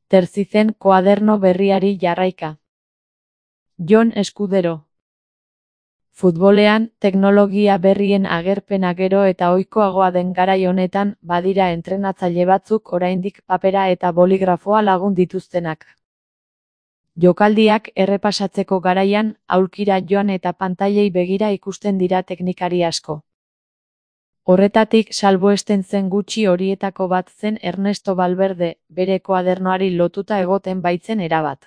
Terzizen koaderno berriari jarraika. Jon Eskudero. Futbolean, teknologia berrien agerpena gero eta ohikoagoa den garai honetan, badira entrenatzaile batzuk oraindik papera eta boligrafoa lagun dituztenak. Jokaldiak errepasatzeko garaian, aulkira joan eta pantailei begira ikusten dira teknikari asko. Horretatik salbuesten zen gutxi horietako bat zen Ernesto Valverde, bere koadernoari lotuta egoten baitzen erabat.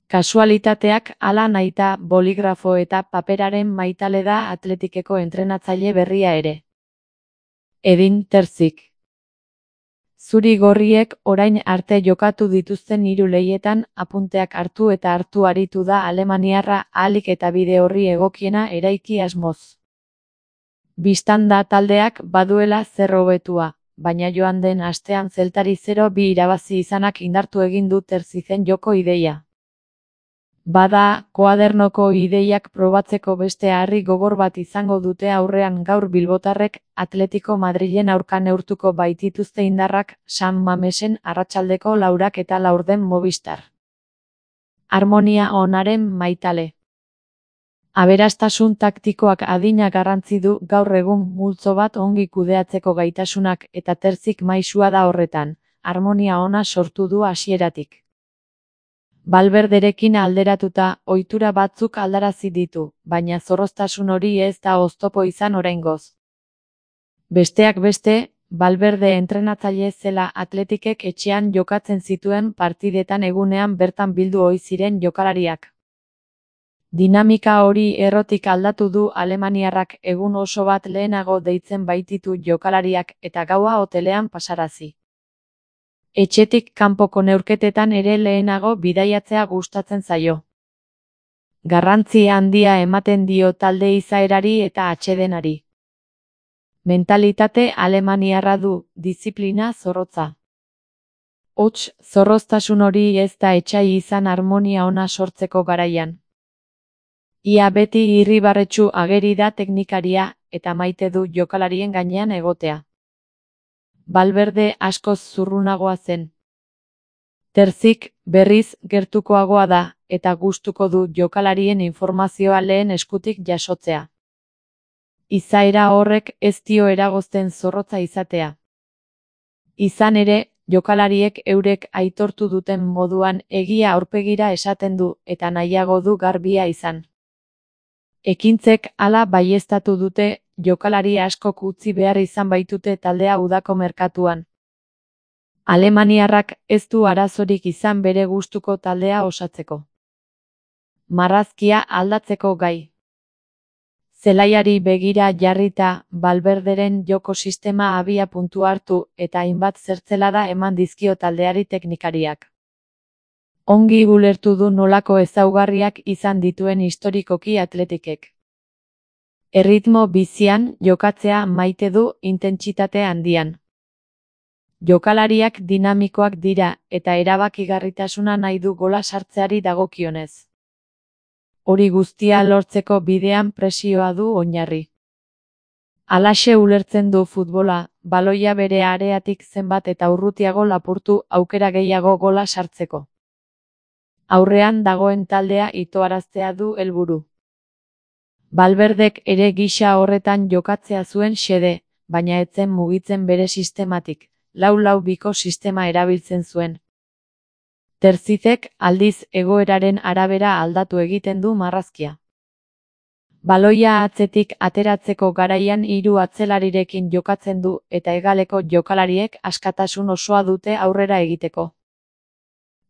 Kasualitateak hala nahita boligrafo eta paperaren maitale da Atletikeko entrenatzaile berria ere. Edin Terzik. Zuri-gorriek orain arte jokatu dituzten 3 lehietan apunteak hartu eta hartu aritu da alemaniarra ahalik eta bide horri egokiena eraiki asmoz. Bistan da taldeak baduela zer hobetua, baina joan den astean Zeltari 0-2 irabazi izanak indartu egin du Terzizen joko ideia. Bada, koadernoko ideiak probatzeko beste harri gogor bat izango dute aurrean gaur bilbotarrek Atletico Madrilen aurka neurtuko baitituzte indarrak San Mamesen arratsaldeko 4 eta 4 Movistar. Harmonia onaren maitale. Aberastasun taktikoak adina garrantzi du gaur egun multzo bat ongi kudeatzeko gaitasunak eta Terzik maisua da horretan, harmonia ona sortu du hasieratik. Valverderekin alderatuta, ohitura batzuk aldarazi ditu, baina zorroztasun hori ez da oztopo izan oraingoz. Besteak beste, Valverde entrenatzaile zela Atletikek etxean jokatzen zituen partidetan egunean bertan bildu ohi ziren jokalariak. Dinamika hori errotik aldatu du alemaniarrak egun oso bat lehenago deitzen baititu jokalariak eta gaua hotelean pasarazi. Etxetik kanpoko neurketetan ere lehenago bidaiatzea gustatzen zaio. Garrantzi handia ematen dio talde izaerari eta atsedenari. Mentalitate alemaniarra du, diziplina zorrotza. Hots, zorroztasun hori ez da etsai izan harmonia ona sortzeko garaian. Ia beti irribarretsu ageri da teknikaria, eta maite du jokalarien gainean egotea. Valverde askoz zurrunagoa zen. Terzik, berriz, gertukoagoa da, eta gustuko du jokalarien informazioa lehen eskutik jasotzea. Izaera horrek ez dio eragozten zorrotza izatea. Izan ere, jokalariek eurek aitortu duten moduan egia aurpegira esaten du, eta nahiago du garbia izan. Ekintzek hala baieztatu dute, jokalari askok utzi behar izan baitute taldea udako merkatuan. Alemaniarrak ez du arazorik izan bere gustuko taldea osatzeko. Marrazkia aldatzeko gai. Zelaiari begira jarrita, Valverderen joko sistema abia puntu hartu eta hainbat zertzelada eman dizkio taldeari teknikariak. Ongi ulertu du nolako ezaugarriak izan dituen historikoki Atletikek. Erritmo bizian jokatzea maite du intentsitate handian. Jokalariak dinamikoak dira eta erabakigarritasuna nahi du gola sartzeari dagokionez. Hori guztia lortzeko bidean presioa du oinarri. Halaxe ulertzen du futbola, baloia bere areatik zenbat eta urrutiago lapurtu aukera gehiago gola sartzeko. Aurrean dagoen taldea itoaraztea du helburu. Valverdek ere gisa horretan jokatzea zuen xede, baina ez zen mugitzen bere sistematik, 4-4-2 sistema erabiltzen zuen. Terzizek aldiz egoeraren arabera aldatu egiten du marrazkia. Baloia atzetik ateratzeko garaian 3 atzelarirekin jokatzen du eta hegaleko jokalariek askatasun osoa dute aurrera egiteko.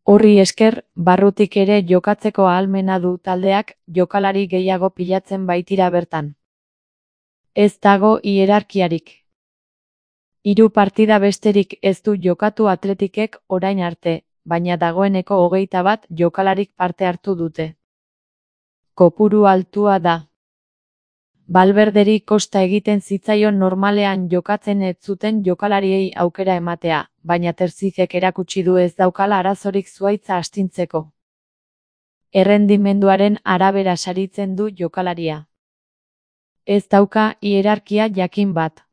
Horri esker, barrutik ere jokatzeko ahalmena du taldeak, jokalari gehiago pilatzen baitira bertan. Ez dago hierarkiarik. 3 partida besterik ez du jokatu Atletikek orain arte, baina dagoeneko 21 jokalarik parte hartu dute. Kopuru altua da. Valverderi kosta egiten zitzaion normalean jokatzen ez zuten jokalariei aukera ematea, baina Terzizek erakutsi du ez daukala arazorik zuhaitza astintzeko. Errendimenduaren arabera saritzen du jokalaria. Ez dauka hierarkia jakin bat.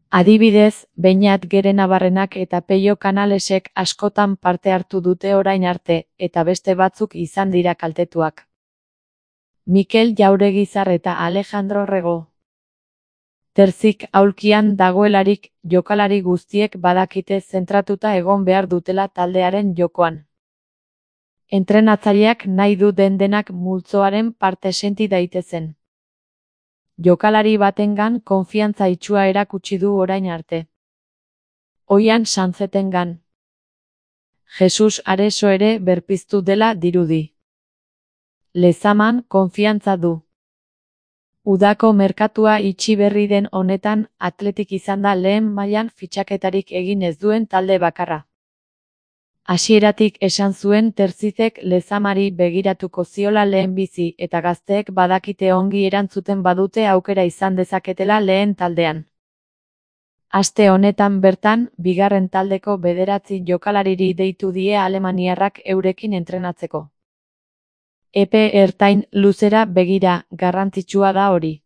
Adibidez, Beñat Gerenabarrenak eta Peio Canalesek askotan parte hartu dute orain arte, eta beste batzuk izan dira kaltetuak. Mikel Jauregizar eta Alejandro Rego. Terzik aulkian dagoelarik, jokalari guztiek badakite zentratuta egon behar dutela taldearen jokoan. Entrenatzaileak nahi du denak multzoaren parte senti daitezen. Jokalari batengan konfiantza itsua erakutsi du orain arte. Oian Sanzetengan. Jesus Areso ere berpiztu dela dirudi. Lezaman konfiantza du. Udako merkatua itxi berri den honetan, Athletic izan da lehen mailan fitxaketarik egin ez duen talde bakarra. Hasieratik esan zuen Terzizek Lezamari begiratuko ziola lehenbizi eta gazteek badakite ongi erantzuten badute aukera izan dezaketela lehen taldean. Aste honetan bertan, bigarren taldeko 9 jokalariri deitu die alemaniarrak eurekin entrenatzeko. Epe ertain luzera begira, garrantzitsua da hori.